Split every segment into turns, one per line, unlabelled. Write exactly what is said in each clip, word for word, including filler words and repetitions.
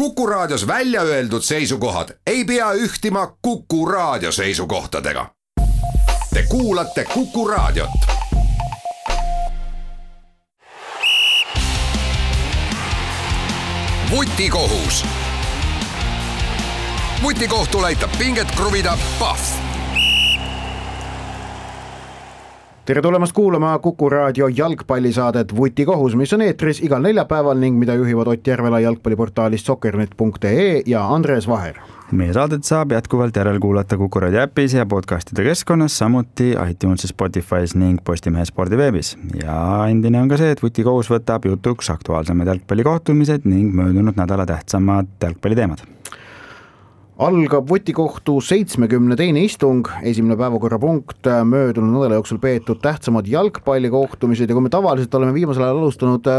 Kuku Raadios välja öeldud seisukohad ei pea ühtima Kuku Raadio seisukohtadega. Te kuulate Kuku Raadiot. Vutikohus. Vutikohtul aitab pinget kruvida Pahv.
Tere tulemast kuulama Kuku Raadio jalgpallisaadet Vutikohus, mis on eetris igal neljapäeval ning mida juhivad Ott Järvela jalgpalliportaalist soccernet punkt ee ja Andres Vaher.
Meie saadet saab jätkuvalt järel kuulata Kuku Raadio äpis ja podcastide keskkonnas, samuti iTunesis, Spotify's ning Postimehe spordiveebis. Ja endine on ka see, et Vutikohus võtab jutuks aktuaalsemad jalgpallikohtumised ning möödunud nädala tähtsamad jalgpalliteemad.
Algab Vutikohtu seitsmekümne teine istung, esimene päevakorrapunkt möödunud nädala jooksul peetud tähtsamad jalgpallikohtumised ja kui me tavaliselt oleme viimasel ajal alustanud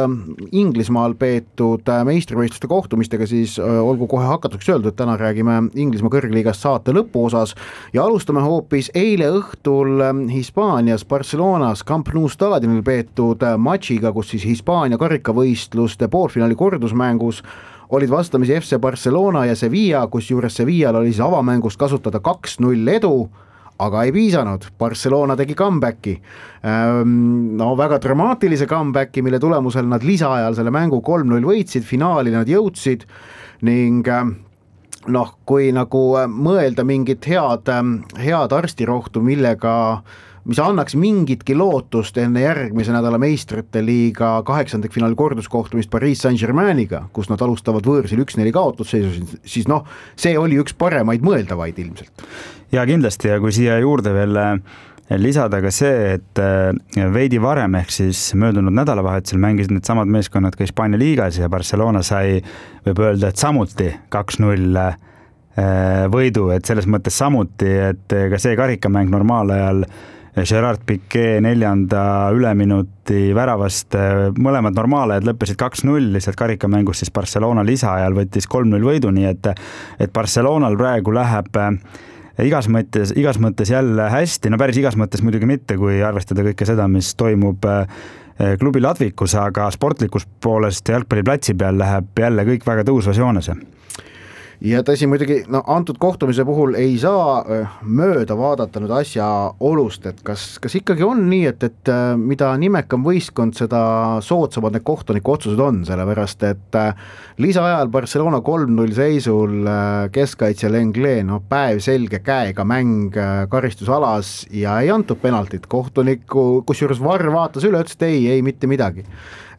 Inglismaal peetud meistrivõistluste kohtumistega, siis olgu kohe hakatuseks öeldud, et täna räägime Inglismaa kõrgliigast saate lõpuosas ja alustame hoopis eile õhtul Hispaanias Barcelonas Camp Nou staadionil peetud matšiga, kus siis Hispaania karikavõistluste poolfinaali kordusmängus olid vastamisi F C Barcelona ja Sevilla, kus juures Sevillal oli siis avamängust kasutada kaks null edu, aga ei piisanud. Barcelona tegi comebacki. No väga dramaatilise comebacki, mille tulemusel nad lisaajal selle mängu kolm null võitsid, finaali nad jõudsid ning noh, kui nagu mõelda mingit head, head arstirohtu, millega mis annaks mingitki lootust enne järgmise nädala meistrite liiga kaheksandek finaali korduskohtumist Paris Saint-Germainiga, kus nad alustavad võõrsil üks neli kaotusseisus, siis noh, see oli üks paremaid mõeldavaid ilmselt.
Ja kindlasti, ja kui siia juurde veel lisada ka see, et veidi varem ehk siis möödunud nädalavahetusel mängisid need samad meeskonnad ka Hispaania liigas ja Barcelona sai, võib öelda, et samuti kaks null võidu, et selles mõttes samuti, et ka see karikamäng normaalajal Gerard Piqué neljanda üleminuti väravast, mõlemad normaalajad lõppesid kaks null, lihtsalt karikamängus siis Barcelona lisaajal võttis kolm null võidu, nii et, et Barcelonal praegu läheb igas mõttes, igas mõttes jälle hästi, no päris igas mõttes muidugi mitte, kui arvestada kõike seda, mis toimub klubi ladvikus, aga sportlikus poolest jalgpalliplatsi peal läheb jälle kõik väga tõusvas joonese.
Ja tõsi muidugi, no antud kohtumise puhul ei saa mööda vaadata nüüd asja olust, et kas, kas ikkagi on nii, et, et mida nimekam võistkond, seda soodsamad need kohtuniku otsused on, sellepärast, et lisaajal Barcelona kolm null seisul keskkaitsja Lenglet, no päev selge käega mäng karistusalas ja ei antud penaltit kohtuniku, kus juures V A R vaatas üle, ütles, et ei, ei mitte midagi.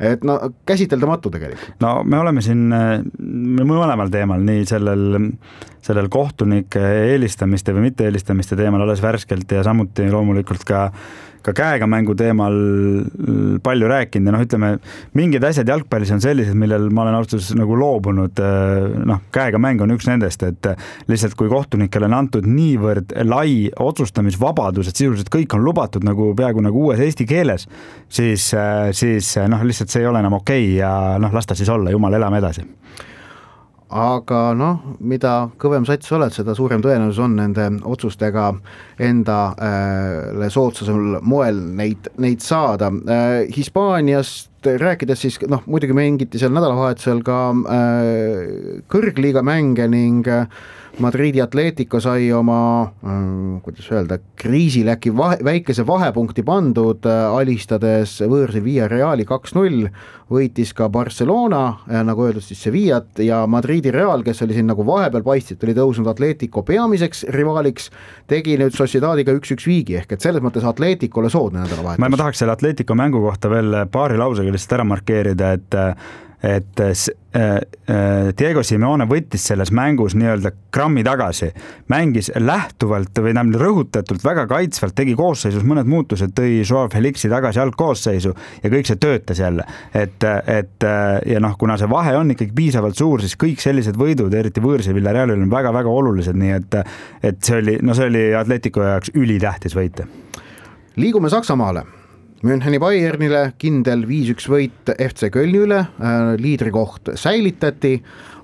Et no käsiteldamatu tegelikult.
No me oleme siin mõlemal teemal, nii sellel, sellel kohtunike eelistamiste või mitte eelistamiste teemal alles värskelt ja samuti loomulikult ka, ka käega mängu teemal palju rääkinud ja noh, ütleme, mingid asjad jalgpallis on sellised, millel ma olen austus nagu loobunud, noh, käega mäng on üks nendest, et lihtsalt kui kohtunikele on antud niivõrd lai otsustamisvabadus, et sisuliselt kõik on lubatud nagu peaaegu nagu uues eesti keeles, siis, siis noh, lihtsalt see ei ole enam okei ja noh, lasta siis olla, jumal, elame edasi.
Aga noh, mida kõvem sats oled, seda suurem tõenäosus on nende otsustega endale soodsasel moel neid, neid saada. Hispaaniast rääkides siis, noh, muidugi mängiti seal nädalavahetusel ka kõrgliiga mänge ning Madridi Atletico sai oma, kuidas öelda, kriisil äkki vahe, väikese vahepunkti pandud, alistades võõrsil Villarreali kaks null, võitis ka Barcelona, nagu öeldud siis Sevillat ja Madridi Real, kes oli siin nagu vahepeal paistit, oli tõusnud Atletico peamiseks rivaaliks, tegi nüüd Sociedadiga üks üks viigi, ehk et selles mõttes Atleticole soodne nädalavahetus.
Ma, ma tahaks selle Atletico mängu kohta veel paari lausega lihtsalt ära markeerida, et et Diego Simeone võttis selles mängus nii-öelda grammi tagasi, mängis lähtuvalt või näem rõhutatult väga kaitsvalt, tegi koosseisus mõned muutused, tõi Joao Felixi tagasi algkoosseisu ja kõik see töötas jälle, et, et ja noh, kuna see vahe on ikkagi piisavalt suur, siis kõik sellised võidud, eriti võõrsil Villarrealil on väga-väga olulised, nii et, et see oli, no see oli Atletico jaoks ülitähtis võita.
Liigume Saksamaale. Müncheni Bayernile kindel viis üks võit F C Kölni üle, liidrikoht säilitati,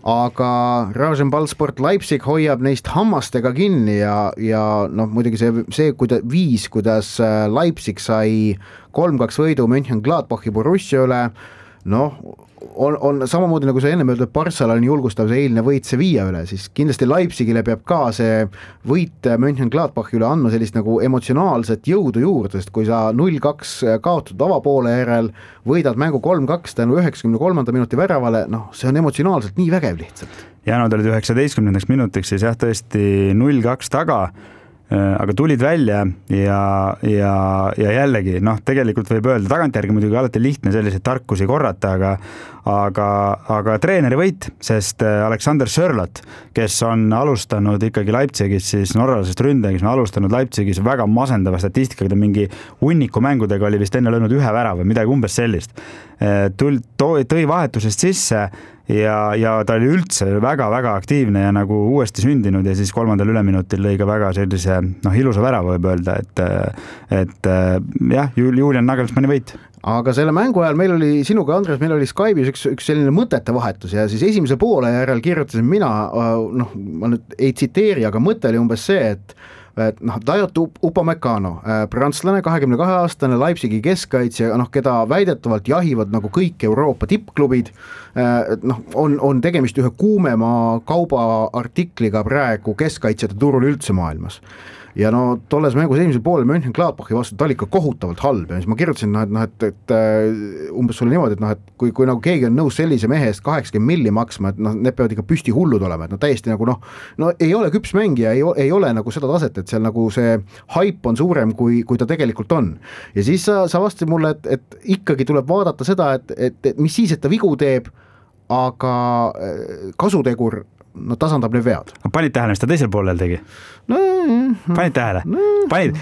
aga Rasenballsport Leipzig hoiab neist hammastega kinni ja, ja noh, muidugi see, see kuida, viis, kuidas Leipzig sai kolm kaks võidu Mönchengladbachi Borussia üle, noh, on, on samamoodi nagu see ennem öeldud Barcelona julgustav see eilne võit Sevilla üle, siis kindlasti Leipzigile peab ka see võit Mönchengladbachi üle andma sellist nagu emotsionaalset jõudu juurde, sest kui sa null kaks kaotad avapoole järel, võidad mängu kolm kaks tänu üheksakümne kolmanda minuti väravale, noh, see on emotsionaalselt nii vägev lihtsalt.
ja nad olid üheksateistkümnendaks minutiks siis jah, tõesti null kaks taga, aga tulid välja ja, ja, ja jällegi, noh, tegelikult võib öelda, tagantjärgi muidugi alati lihtne selliseid tarkusi korrata, aga aga, aga treeneri võit, sest Alexander Sörlot, kes on alustanud ikkagi Leipzigis siis norralasest ründaja, kes on alustanud Leipzigis väga masendava statistikaga, mingi hunniku mängudega oli vist enne löönud ühe värava, midagi umbes sellist. Tul, tõi vahetusest sisse ja, ja ta oli üldse väga-väga aktiivne ja nagu uuesti sündinud ja siis kolmandal üleminutil lõi ka väga sellise noh, ilusa värava võib öelda, et, et jah, Julian Nagelsmanni võit.
Aga selle mängu ajal meil oli, sinuga Andres, meil oli Skype'is üks, üks selline mõtete vahetus ja siis esimese poole järel kirjutasin mina, noh, ma nüüd ei tsiteeri, aga mõte oli umbes see, et et noh, Dayot Upamecano, prantslane, kahekümne kahe aastane Leipzigi keskkaitsja, noh, keda väidetavalt jahivad nagu kõik Euroopa tippklubid, noh, on, on tegemist ühe kuumema kaubaartikliga praegu keskkaitsjate turul üldse maailmas. Ja no tolles mängus esimesel poolel Mönchengladbachi vastu ta oli ikka kohutavalt halb ja siis ma kirjutasin, no, et, no, et, et umbes sulle niimoodi, et, no, et kui, kui nagu keegi on nõus sellise mehe eest kaheksakümmend milli maksma, et noh, need peavad ikka püsti hullud olema, et no täiesti nagu noh, no ei ole küps mängija, ei, ei ole nagu seda taset, et seal nagu see haip on suurem, kui, kui ta tegelikult on. Ja siis sa, sa vastasid mulle, et, et ikkagi tuleb vaadata seda, et, et, et mis siis, et ta vigu teeb, aga kasutegur no tasandab need vead.
Panid tähele, mis ta teisel poolel tegi?
No,
panid tähele?
No.
Panid?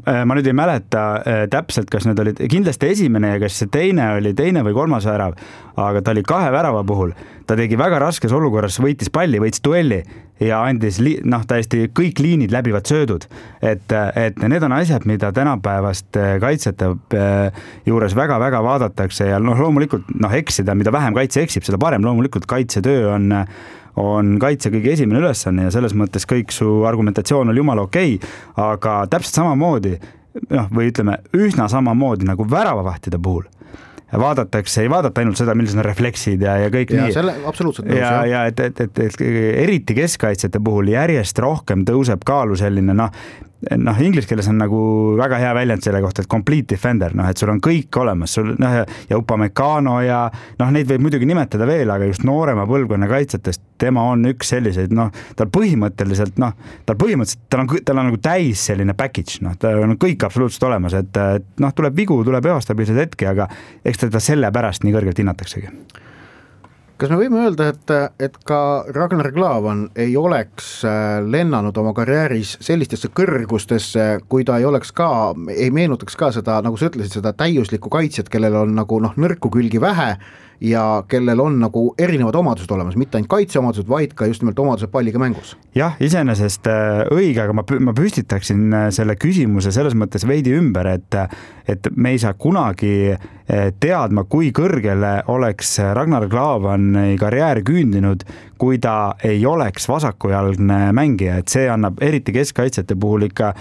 Ma nüüd ei mäleta täpselt, kas need olid kindlasti esimene ja kas see teine oli teine või kolmas värav, aga ta oli kahe värava puhul. Ta tegi väga raskes olukorras, võitis palli, võitis duelli ja andis noh, täiesti kõik liinid läbivad söödud. Et, et need on asjad, mida tänapäevast kaitsjate juures väga-väga vaadatakse ja noh, loomulikult noh, eksida, mida vähem kaitse eksib, seda parem. Loomulikult kaitsetöö on on kaitse kõige esimene ülesanne ja selles mõttes kõik su argumentatsioon oli jumala okei, aga täpselt samamoodi, noh, või ütleme, üsna samamoodi nagu väravavahtide puhul vaadatakse, ei vaadata ainult seda, millised on refleksid ja, ja kõik
ja,
nii.
Selle, absoluutselt nõus,
ja, ja et, et, et, et eriti keskkaitsjate puhul järjest rohkem tõuseb kaalu selline, noh, noh, inglise keeles on nagu väga hea väljend selle kohta, et complete defender, noh, et sul on kõik olemas, sul, noh, ja Upamecano ja noh, neid võib muidugi nimetada veel, aga just noorema põlvkonna kaitsetest, tema on üks selliseid, noh, tal põhimõtteliselt, noh, tal põhimõtteliselt, tal on, tal on nagu täis selline package, noh, ta on kõik absoluutselt olemas, et, et noh, tuleb vigu, tuleb ebastabiilsed hetki, aga eks teda selle pärast nii kõrgelt hinnataksegi.
Kas me võime öelda, et, et ka Ragnar Klavan ei oleks lennanud oma karjääris sellistesse kõrgustesse, kui ta ei oleks ka, ei meenutaks ka seda, nagu sa ütlesid, seda täiuslikku kaitsjat, kellel on nagu noh, nõrku külgi vähe ja kellel on nagu erinevad omadused olemas, mitte ainult kaitseomadused, vaid ka just nimelt omadused palliga mängus. Jah,
iseenesest õige, aga ma, ma püstitaksin selle küsimuse selles mõttes veidi ümber, et, et me ei saa kunagi teadma, kui kõrgele oleks Ragnar Klavani karjäär küündinud, kui ta ei oleks vasakujalgne mängija, et see annab eriti keskkaitsjate puhul ikka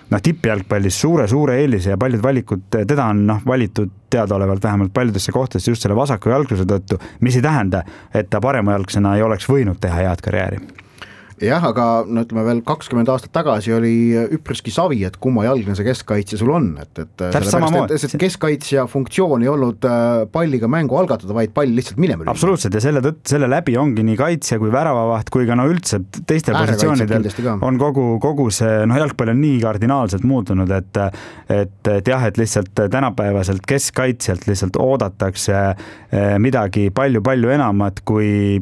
noh, tippjalgpallis suure-suure eelise ja paljud valikud, teda on noh, valitud teadaolevalt vähemalt paljudesse kohtadesse just selle vasaku jalgluse tõttu, mis ei tähenda, et ta paremajalgsena ei oleks võinud teha head karjääri.
Jah, aga no ütleme veel kakskümmend aastat tagasi oli üpriski savi, et kumma jalgne see keskkaitsja sul on, et, et, et, et keskkaitsja funktsioon ei olnud palliga mängu algatada, vaid pall lihtsalt minema.
Absoluutselt ja selle, tõtt, selle läbi ongi nii kaitsja kui väravavaht kui ka no üldse teistel positsioonidel on kogu, kogu see no, jalgpall on nii kardinaalselt muutunud, et, et, et jah, et lihtsalt tänapäevaselt keskkaitsjalt lihtsalt oodatakse midagi palju-palju enamat kui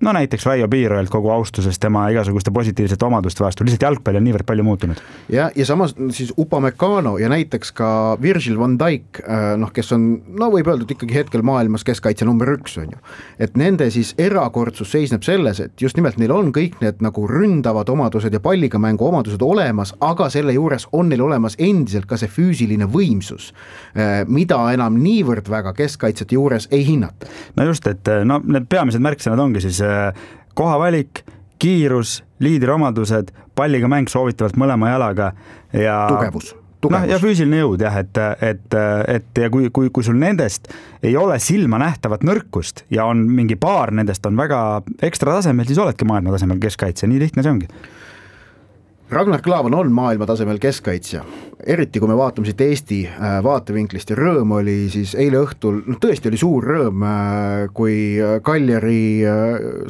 no näiteks Raio Piiroelt kogu austusest tema igasuguste positiivsete omaduste vastu, lihtsalt jalgpall on niivõrd palju muutunud.
Ja, ja samas siis Upamecano ja näiteks ka Virgil van Dijk, noh, kes on, no võib öelda, et ikkagi hetkel maailmas keskkaitse number üks on ju, et nende siis erakordsus seisneb selles, et just nimelt neil on kõik need nagu ründavad omadused ja palliga mängu omadused olemas, aga selle juures on neil olemas endiselt ka see füüsiline võimsus, mida enam niivõrd väga keskkaitsjate juures ei hinnata.
No just, et no, need peamised märksõnad ongi siis kohavalik, kiirus, liidri omadused, palliga mäng soovitavalt mõlema jalaga ja
tugevus, tugevus.
No, ja füüsiline jõud jah, et, et, et ja kui, kui, kui sul nendest ei ole silma nähtavat nõrkust ja on mingi paar nendest on väga ekstra tasemel, siis oledki maailma tasemel keskkaitsja, nii lihtne see ongi.
Ragnar Klavan on maailma tasemel keskkaitsja, eriti kui me vaatame siit Eesti vaatevinklist ja rõõm oli siis eile õhtul, no tõesti oli suur rõõm, kui Kaljari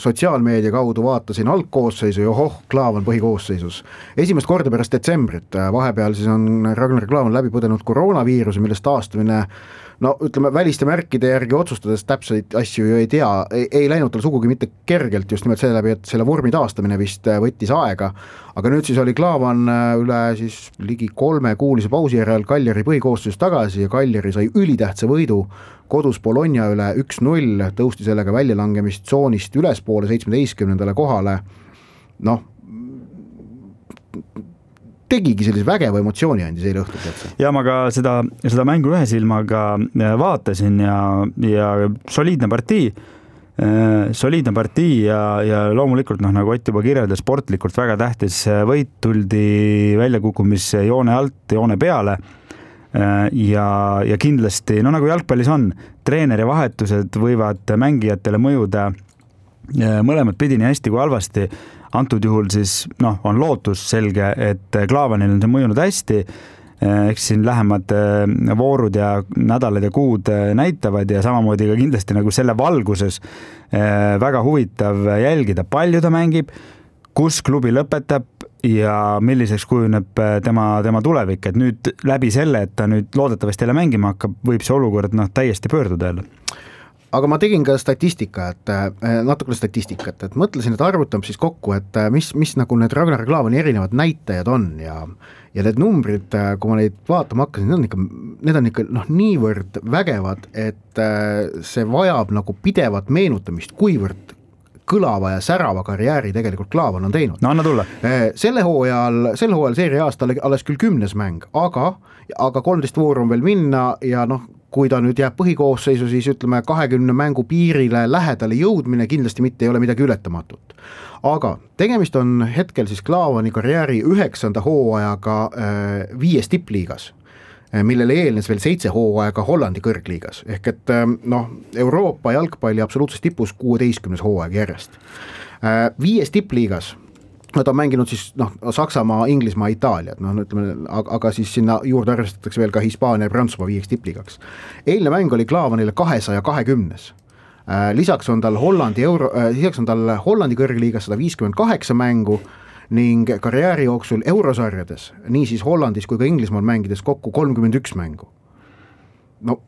sotsiaalmeedia kaudu vaatasin algkoosseisu ja ohoh, Klavan põhikoosseisus. Esimest korda pärast detsembrit, vahepeal siis on Ragnar Klavan läbi põdenud koroonaviiruse, millest taastumine no ütleme, väliste märkide järgi otsustades täpseid asju ju ei tea, ei, ei läinud tal sugugi mitte kergelt just nimelt selle läbi, et selle vormi taastamine vist võttis aega, aga nüüd siis oli Klavan üle siis ligi kolme kuulise pausi järel Kaljari põhikoosseis tagasi ja Kaljari sai ülitähtsa võidu kodus Bologna üle üks null, tõusti sellega väljalangemist tsoonist ülespoole seitsmeteistkümnendale kohale, noh, tegigi sellise vägeva emotsiooni andis eile õhtul.
Ja ma ka seda, seda mängu ühe silmaga vaatasin ja, ja soliidne partii, soliidne partii ja, ja loomulikult noh, nagu Ott juba kirjeldas, sportlikult väga tähtis võit, tuldi väljakukkumise joone alt, joone peale ja, ja kindlasti, no nagu jalgpallis on, treeneri vahetused võivad mängijatele mõjuda mõlemad pidi nii hästi kui halvasti. Antud juhul siis noh, on lootus selge, et Klavanil on see mõjunud hästi, eks siin lähemad voorud ja nädalad ja kuud näitavad ja samamoodi ka kindlasti nagu selle valguses väga huvitav jälgida, palju ta mängib, kus klubi lõpetab ja milliseks kujuneb tema, tema tulevik, et nüüd läbi selle, et ta nüüd loodetavasti jälle mängima hakkab, võib see olukord noh, täiesti pöörduda jälle.
Aga ma tegin ka statistika, et natukene statistikat, et mõtlesin, et arvutab siis kokku, et mis, mis nagu need Ragnar Klavani erinevad näitajad on ja, ja need numbrid, kui ma neid vaatama hakkasin, need on ikka, need on ikka noh, niivõrd vägevad, et see vajab nagu pidevat meenutamist, kuivõrd kõlava ja särava karjääri tegelikult Klavan on teinud.
No anna tulla.
Selle hooajal, selle hooajal seeria aasta alles küll kümnes mäng, aga, aga kolmteist vooru on veel minna ja noh, kui ta nüüd jääb põhikoosseisu, siis ütleme kahekümne mängu piirile lähedale jõudmine kindlasti mitte ei ole midagi ületamatut. Aga tegemist on hetkel siis Klavani karjääri üheksanda hooajaga viies tippliigas, millele eelnes veel seitse hooaega Hollandi kõrgliigas. Ehk et noh, Euroopa jalgpalli absoluutses tipus kuueteistkümnes hooaeg järjest. Viies tippliigas nad on mänginud siis noh, Saksamaa, Inglismaa, Itaaliat, noh, ütleme, aga, aga siis sinna juurde arvestatakse veel ka Hispaania ja Prantsusmaa viieks tippligaks. Eilne mäng oli Klavanile kahesaja kahekümnes. Lisaks on tal Hollandi, Euro, lisaks on tal Hollandi kõrgliigas sada viiskümmend kaheksa mängu ning karjääri jooksul eurosarjades, nii siis Hollandis kui ka Inglismaal mängides kokku kolmkümmend üks mängu. No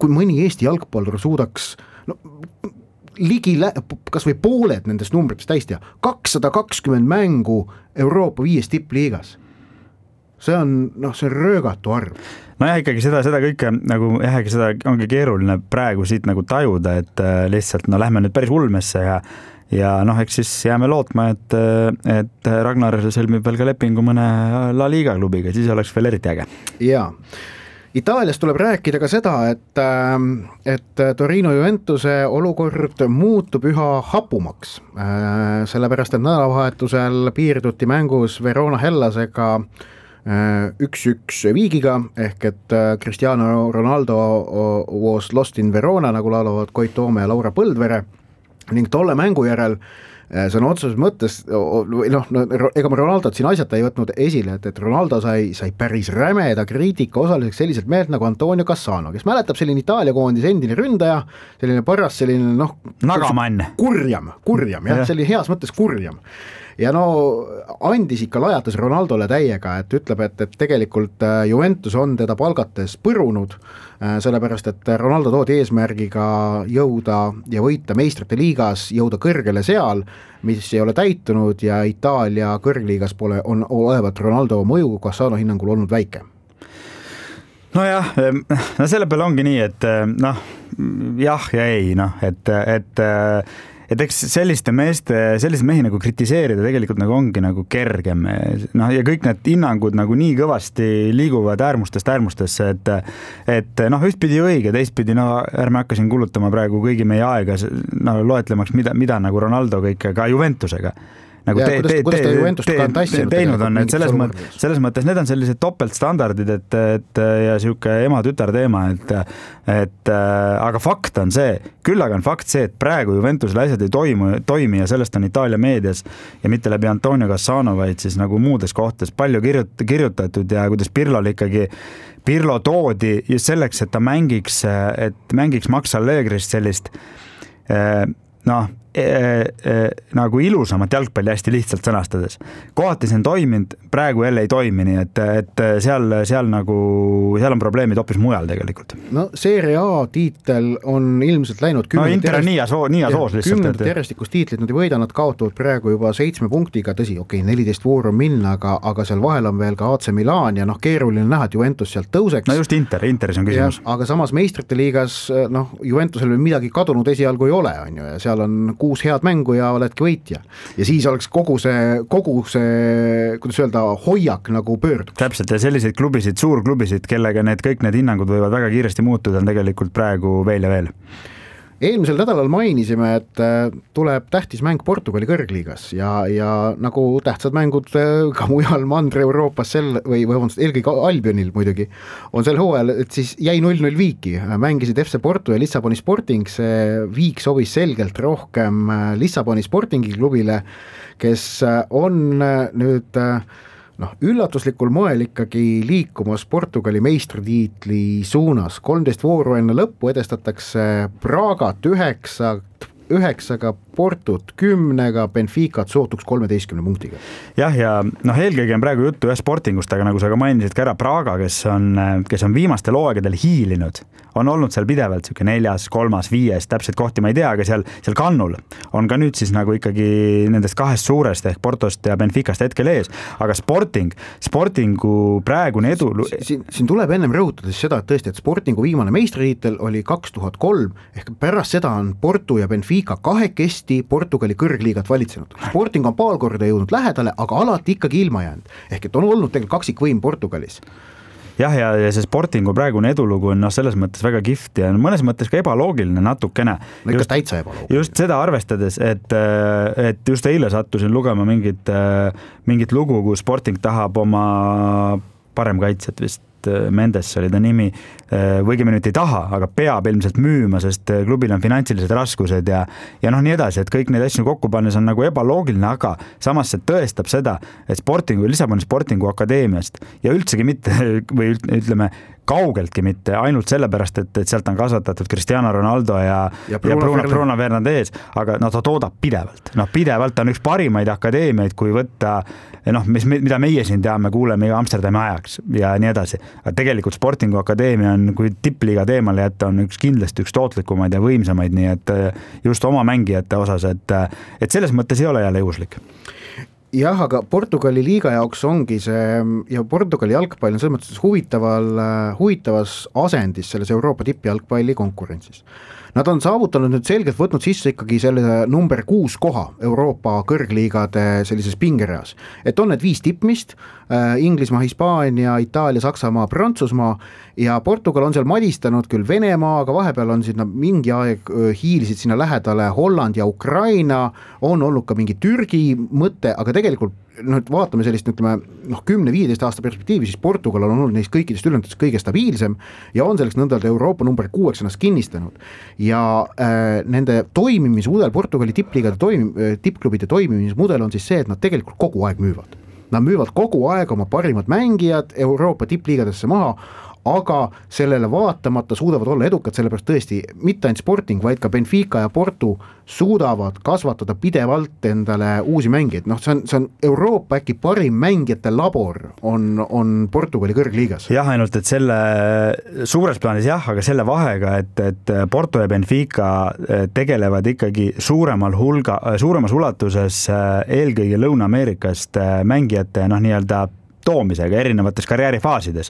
kui mõni Eesti jalgpallur suudaks no, ligi lä- kas või pooled nendest numbritest täistia, kakssada kakskümmend mängu Euroopa viies tippliigas. See on, noh, see on röögatu arv.
No jah, ikkagi seda, seda kõike nagu jah, seda ongi keeruline praegu siit nagu tajuda, et lihtsalt no lähme nüüd päris ulmesse ja ja noh, eks siis jääme lootma, et, et Ragnar sõlmib veel ka lepingu mõne La Liga klubiga, siis oleks veel eriti äge.
Jaa. Itaalias tuleb rääkida ka seda, et, et Torino Juventuse olukord muutub üha hapumaks, sellepärast et nädalavahetusel piirduti mängus Verona Hellasega üks üks viigiga, ehk et Cristiano Ronaldo was lost in Verona, nagu laulavad Koit Toome ja Laura Põldvere, ning tolle mängu järel see on otseses mõttes, noh, no, ega ma Ronaldot siin asjata ei võtnud esile, et, et Ronaldo sai, sai päris rämeda kriitika osaliseks selliselt meelt nagu Antonio Cassano, kes mäletab selline Itaalia koondis endine ründaja, selline paras selline noh,
nagamann.
Kurjam, kurjam, jah, selline heas mõttes kurjam. Ja no andis ikka lajatas Ronaldole täiega, et ütleb, et, et tegelikult Juventus on teda palgates põrunud, sellepärast, et Ronaldo toodi eesmärgiga jõuda ja võita meistrite liigas, jõuda kõrgele seal, mis ei ole täitunud ja Itaalia kõrgliigas pole, on olevat Ronaldo mõju Cassano hinnangul olnud väike.
No jah, no selle peale ongi nii, et noh, jah ja ei, noh, et, et et eks selliste meeste, sellise mehi nagu kritiseerida tegelikult nagu ongi nagu kergem, noh ja kõik need hinnangud nagu nii kõvasti liiguvad äärmustest äärmustesse, et, et noh, ühtpidi õige, teistpidi, no ärme hakka siin kulutama praegu kõigi meie aega no, loetlemaks, mida, mida nagu Ronaldo kõike ka Juventusega nagu
ja,
te,
kuidas,
te,
kuidas ta
te,
Juventust
te,
ka on tassinud
teinud on, et selles mõttes, selles mõttes need on sellised topeltstandardid, et, et ja sihuke ema-tütar teema, et, et aga fakt on see, küll aga on fakt see, et praegu Juventusel asjad ei toimu, toimi ja sellest on Itaalia meedias ja mitte läbi Antonio Cassano, vaid siis nagu muudes kohtades palju kirjut, kirjutatud ja kuidas Pirlol ikkagi Pirlo toodi just selleks, et ta mängiks, et mängiks Max Allegrist sellist noh, E, e, nagu ilusamat jalgpalli hästi lihtsalt sõnastades. Kohati see on toiminud, praegu jälle ei toimi, nii et, et seal, seal, nagu, seal on probleemid hoopis mujal tegelikult.
No Serie A tiitel on ilmselt läinud
no Inter on nii ja soos, nii ja soos lihtsalt.
Kümnendat järjestikust tiitlit nad ei võida, nad kaotavad praegu juba seitsme punktiga, tõsi, okei, okay, neliteist vooru on minna, aga, aga seal vahel on veel ka A C Milan ja noh, keeruline näha, et Juventus sealt tõuseks.
No just Inter, Interis on küsimus.
Ja, aga samas meistrite liigas, noh, Juventusel midagi kadunud esialgu ei ole, on ju, ja seal on kuus head mängu ja oledki võitja. Ja siis oleks kogu see, kogu see, kuidas öelda, hoiak nagu pöörduks.
Täpselt, ja selliseid klubisid, suurklubisid, kellega need kõik need hinnangud võivad väga kiiresti muutuda, on tegelikult praegu veel ja veel.
Eelmisel nädalal mainisime, et tuleb tähtis mäng Portugali kõrgliigas ja, ja nagu tähtsad mängud ka mujal Mandri-Euroopas sel, või, või vabandust, eelkõige Albionil muidugi on sel hooajal, et siis jäi null null viiki, mängisid F C Porto ja Lissaboni Sporting, see viik sobis selgelt rohkem Lissaboni Sportingi klubile, kes on nüüd noh, üllatuslikul moel ikkagi liikumas Portugali meistritiitli suunas. kolmteist vooru enne lõppu edestatakse Pragat üheksa, üheksaga, Portut kümnega, Benficat sootuks kolmeteistkümne punktiga.
Jah, ja noh, eelkõige on praegu juttu ühe Sportingust, aga nagu sa ka mainisid ka ära Praga, kes on, kes on viimastel hooaegadel hiilinud, on olnud seal pidevalt siuke neljas, kolmas, viies, täpselt kohti ma ei tea, aga seal, seal kannul on ka nüüd siis nagu ikkagi nendest kahest suurest ehk Portost ja Benficast hetkel ees, aga Sporting, Sportingu praegune edu...
Siin, siin tuleb ennem rõhutada seda, et tõesti, et Sportingu viimane meistritiitel oli kaks tuhat kolm, ehk pärast seda on Porto ja Benfica kahekesti Portugali kõrgliigat valitsenud. Sporting on paar korda jõudnud lähedale, aga alati ikkagi ilma jäänud. Ehk et on olnud tegelikult kaksikvõim Portugalis.
Jah, ja, ja see Sportingu praegune edulugu on no, selles mõttes väga kihvt ja mõnes mõttes ka ebaloogiline natukene.
No ikka täitsa ebaloogiline.
Just seda arvestades, et, et just eile sattusin lugema mingit, mingit lugu, kus Sporting tahab oma parem kaitset vist, Mendes oli ta nimi, võigemini nüüd ei taha, aga peab ilmselt müüma, sest klubil on finantsilised raskused ja, ja noh nii edasi, et kõik neid asju kokku pannes on nagu ebaloogiline, aga samas see tõestab seda, et Sportingu, Lissaboni Sportingu akadeemiast ja üldsegi mitte, või ütleme, kaugeltki mitte, ainult sellepärast, et, et sealt on kasvatatud Cristiano Ronaldo ja, ja, Bruno, ja Bruno, Bruno Fernandes, aga no ta toodab pidevalt. Noh, pidevalt on üks parimaid akadeemiaid, kui võtta, noh, mis, mida meie siin teame, kuuleme Amsterdami ajaks ja nii edasi. Aga tegelikult Sportingu akadeemia on, kui tippliiga teemale jätta, on üks kindlasti üks tootlikumaid ja võimsamaid, nii et just oma mängijate osas, et, et selles mõttes ei ole jälle juhuslik.
Jah, aga Portugali liiga jaoks ongi see ja Portugali jalgpall on selles mõttes huvitaval, huvitavas asendis selles Euroopa tippjalgpalli konkurentsis. Nad on saavutanud nüüd selgelt võtnud sisse ikkagi selle number kuus koha Euroopa kõrgliigade sellises pingereas. Et on need viis tippmist, Inglismaa, Hispaania, Itaalia, Saksamaa, Prantsusmaa ja Portugal on seal madistanud küll Venemaa, aga vahepeal on sinna mingi aeg hiilisid sinna lähedale Holland ja Ukraina, on olnud ka mingi Türgi mõte, aga tegelikult noh, vaatame sellist, ütleme, noh, kümne-viieteist aasta perspektiivi, siis Portugal on olnud neist kõikidest ülendustest kõige stabiilsem ja on selleks nõndalt Euroopa number kuueks ennast kinnistanud. Ja äh, nende toimimismudel, Portugali tippliigade toim, tippklubide toimimismudel on siis see, et nad tegelikult kogu aeg müüvad. Nad müüvad kogu aeg oma parimad mängijad Euroopa tippliigadesse maha, aga sellele vaatamata suudavad olla edukad, sellepärast tõesti mitte ainult Sporting, vaid ka Benfica ja Porto suudavad kasvatada pidevalt endale uusi mängijaid. Noh, see on, see on Euroopa äkki parim mängijate labor on, on Portugali kõrgliigas.
Jah, ainult, et selle suures plaanis jah, aga selle vahega, et, et Porto ja Benfica tegelevad ikkagi suuremal hulga, suuremas ulatuses eelkõige Lõuna-Ameerikast mängijate noh, nii-öelda toomisega erinevates karjäärifaasides.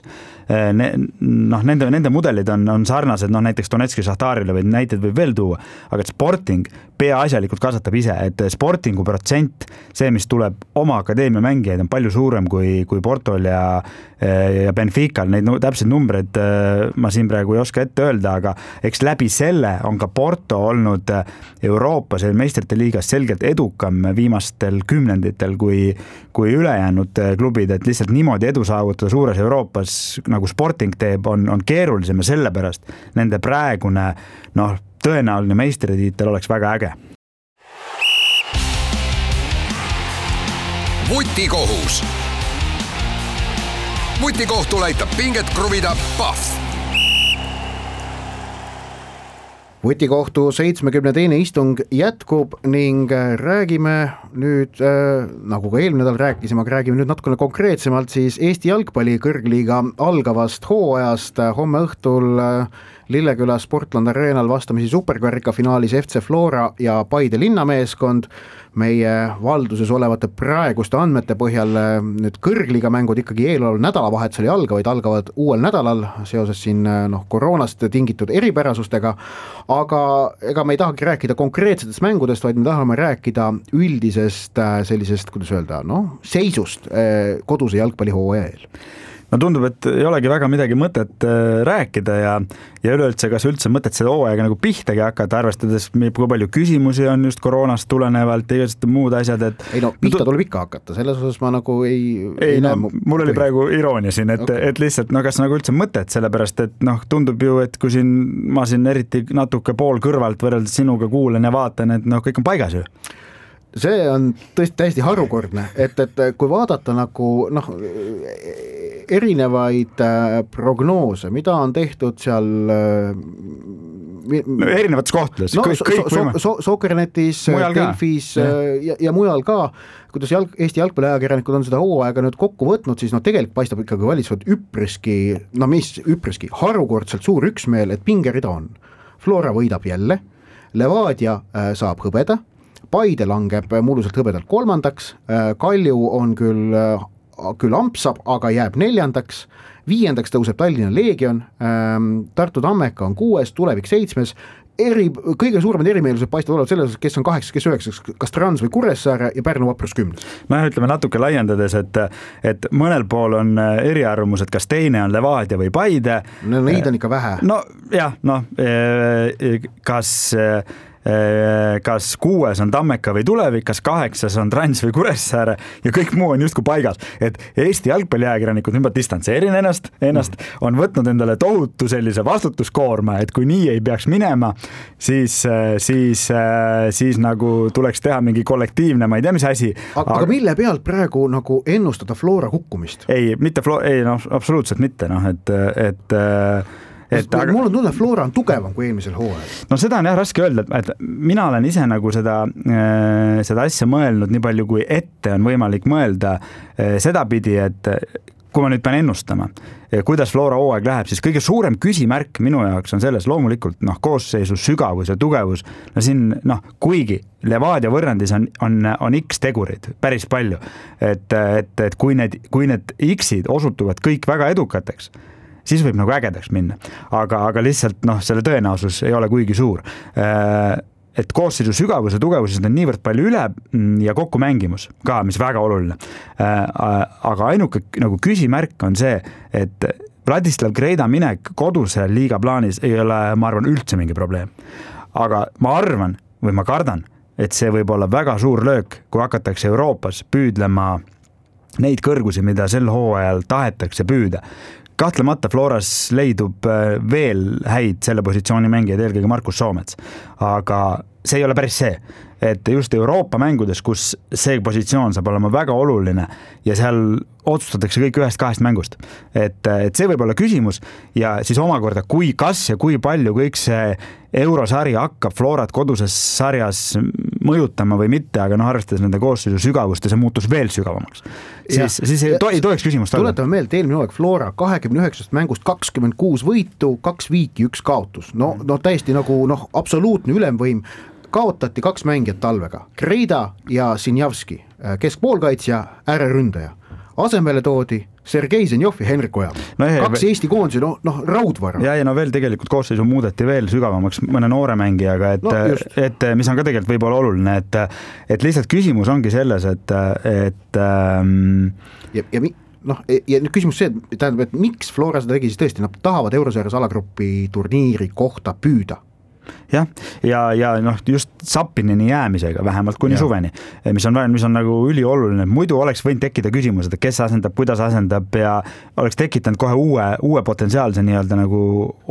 Ne, noh, nende, nende mudelid on, on sarnased, noh, näiteks Donetski Šahtarile või näited võib veel tuua, aga Sporting peaasjalikult kasvatab ise, et Sportingu protsent, see, mis tuleb oma akadeemia mängijaid, on palju suurem kui, kui Portol ja, ja Benfical. Neid no, täpselt numbreid ma siin praegu ei oska ette öelda, aga eks läbi selle on ka Porto olnud Euroopas ja meistrite liigas selgelt edukam viimastel kümnenditel kui, kui ülejäänud klubid, et lihtsalt niimoodi edu saavutada suures Euroopas, nagu Sporting teeb, on, on keerulisem ja sellepärast nende praegune noh, tõenäoline meistritiitel oleks väga äge.
Vutikohus. Vutikohtul aitab pinget kruvida Pahv.
Vutikohtu seitsmekümne teine istung jätkub ning räägime nüüd, äh, nagu ka eelmine nädal rääkisime, aga räägime nüüd natukene konkreetsemalt siis Eesti jalgpalli kõrgliiga algavast hooajast. Homme õhtul äh, Lilleküla Sportland Arenal vastamisi superkarika finaalis F C Flora ja Paide linnameeskond. Meie valduses olevate praeguste andmete põhjal nüüd kõrgliiga mängud ikkagi eeloleval nädalavahetusel ei alga, vaid algavad uuel nädalal seoses siin noh, koroonast tingitud eripärasustega, aga ega me ei tahagi rääkida konkreetsetest mängudest, vaid me tahame rääkida üldisest sellisest, kuidas öelda, noh, seisust koduse jalgpallihooaja eel.
No tundub, et ei olegi väga midagi mõtet rääkida ja, ja üleüldse, kas üldse mõtet seda hooaega nagu pihtagi hakata, arvestades, kui palju küsimusi on just koroonast tulenevalt ja igasugused muud asjad, et
ei no, pihta tuleb ikka hakata, selles osas ma nagu ei
ei, ei no, mul oli praegu iroonia siin, et, okay. et lihtsalt, no kas nagu üldse mõtet, sellepärast, et noh, tundub ju, et kui siin ma siin eriti natuke pool kõrvalt võrreldes sinuga kuulen ja vaatan, et noh, kõik on paigas ju.
See on tõesti täiesti harukordne, et, et kui vaadata nagu noh, erinevaid prognoose, mida on tehtud seal
no, erinevates kohtades
no,
kõik, kõik
so, so, Soccernetis, Delfis ja. Ja, ja mujal ka, kuidas jalg, Eesti jalgpalliajakirjanikud on seda hooaega nüüd kokku võtnud, siis no tegelikult paistab ikkagi valitsevad üpriski, no mis üpriski, harukordselt suur üksmeel, et pingerida on. Flora võidab jälle, Levadia saab hõbeda, Paide langeb mulluselt hõbedalt kolmandaks, Kalju on küll, küll ampsab, aga jääb neljandaks, viiendaks tõuseb Tallinna Leegion, Tartu Tammeka on kuues, Tulevik seitsmes, eri, kõige suuremad erimeelsused paistavad olevat selles, kes on kaheksas, kes üheksas, kas Trans või Kuressaare ja Pärnu Vaprus kümnes.
No ütleme natuke laiendades, et, et mõnel pool on eriarvamused, kas teine on Levadia või Paide.
No neid on ikka vähe.
No jah, noh, kas kas kuues on Tammeka või Tulevik, kas kaheksas on Trans või Kuressaare ja kõik muu on justkui paigas. Et Eesti jalgpalliajakirjanikud nüüd distantseerin ennast, ennast on võtnud endale tohutu sellise vastutuskoorma, et kui nii ei peaks minema, siis, siis, siis nagu tuleks teha mingi kollektiivne, ma ei tea, mis asi.
Aga, aga mille pealt praegu nagu ennustada Flora kukkumist?
Ei, mitte Flora, ei no absoluutselt mitte, noh, et, et
Et, aga... Mul on tunne, Flora on tugevam kui eelmisel hooajal.
No seda on jah raske öelda, et mina olen ise nagu seda, seda asja mõelnud nii palju, kui ette on võimalik mõelda seda pidi, et kui ma nüüd pean ennustama, kuidas Flora hooaeg läheb, siis kõige suurem küsimärk minu jaoks on selles loomulikult noh, koosseisu sügavus ja tugevus. No siin, noh, kuigi Levadia võrrandis on, on, on X tegurid päris palju, et, et, et kui need, kui need X-id osutuvad kõik väga edukateks, siis võib nagu ägedaks minna. Aga, aga lihtsalt noh, selle tõenäosus ei ole kuigi suur. Et koosseisu sügavus ja tugevus on niivõrd palju üle ja kokku mängimus ka, mis väga oluline. Aga ainuke nagu küsimärk on see, et Vladislav Greida minek koduse liiga plaanis ei ole, ma arvan, üldse mingi probleem. Aga ma arvan või ma kardan, et see võib olla väga suur löök, kui hakatakse Euroopas püüdlema neid kõrgusi, mida sel hooajal tahetakse püüda. Kahtlemata Floras leidub veel häid selle positsiooni mängijaid, eelkõige Markus Soomets, aga see ei ole päris see, et just Euroopa mängudes, kus see positsioon saab olema väga oluline ja seal otsustatakse kõik ühest kahest mängust, et, et see võib olla küsimus ja siis omakorda, kui kas ja kui palju kõik see eurosari hakkab Florat koduses sarjas mõjutama või mitte, aga noh, arvestades nende koosseisu sügavust ja see muutus veel sügavamaks, siis, siis ei, to, ei tohiks küsimust olla.
Tuletame meelde, eelmine hooaeg Flora kahekümne üheksast mängust kakskümmend kuus võitu, kaks viiki, üks kaotus. No, no täiesti nagu noh, absoluutne ülemvõim. Kaotati kaks mängijat talvega, Greida ja Sinjavski, keskpoolkaitsja, ääreründaja. asemele toodi Sergei Zenjov ja Henrik Ojamaa no. Kaks veel... Eesti koondisi, noh no, raudvara.
Ja, ja no veel tegelikult koosseisu muudeti veel sügavamaks mõne noore mängijaga, et, no, et mis on ka tegelikult võib-olla oluline, et, et lihtsalt küsimus ongi selles, et, et ähm...
ja, ja mi... noh, ja nüüd küsimus see, tähendab, et miks Flora seda tegi, siis tõesti nad tahavad Eurosarjas alagrupi turniiri kohta püüda.
Jah, ja, ja noh, just Sapinini jäämisega vähemalt kuni ja. Suveni, mis on, mis on nagu ülioluline, muidu oleks võinud tekkida küsimus, et kes asendab, kuidas asendab ja oleks tekitanud kohe uue, uue potentsiaalse nii-öelda nagu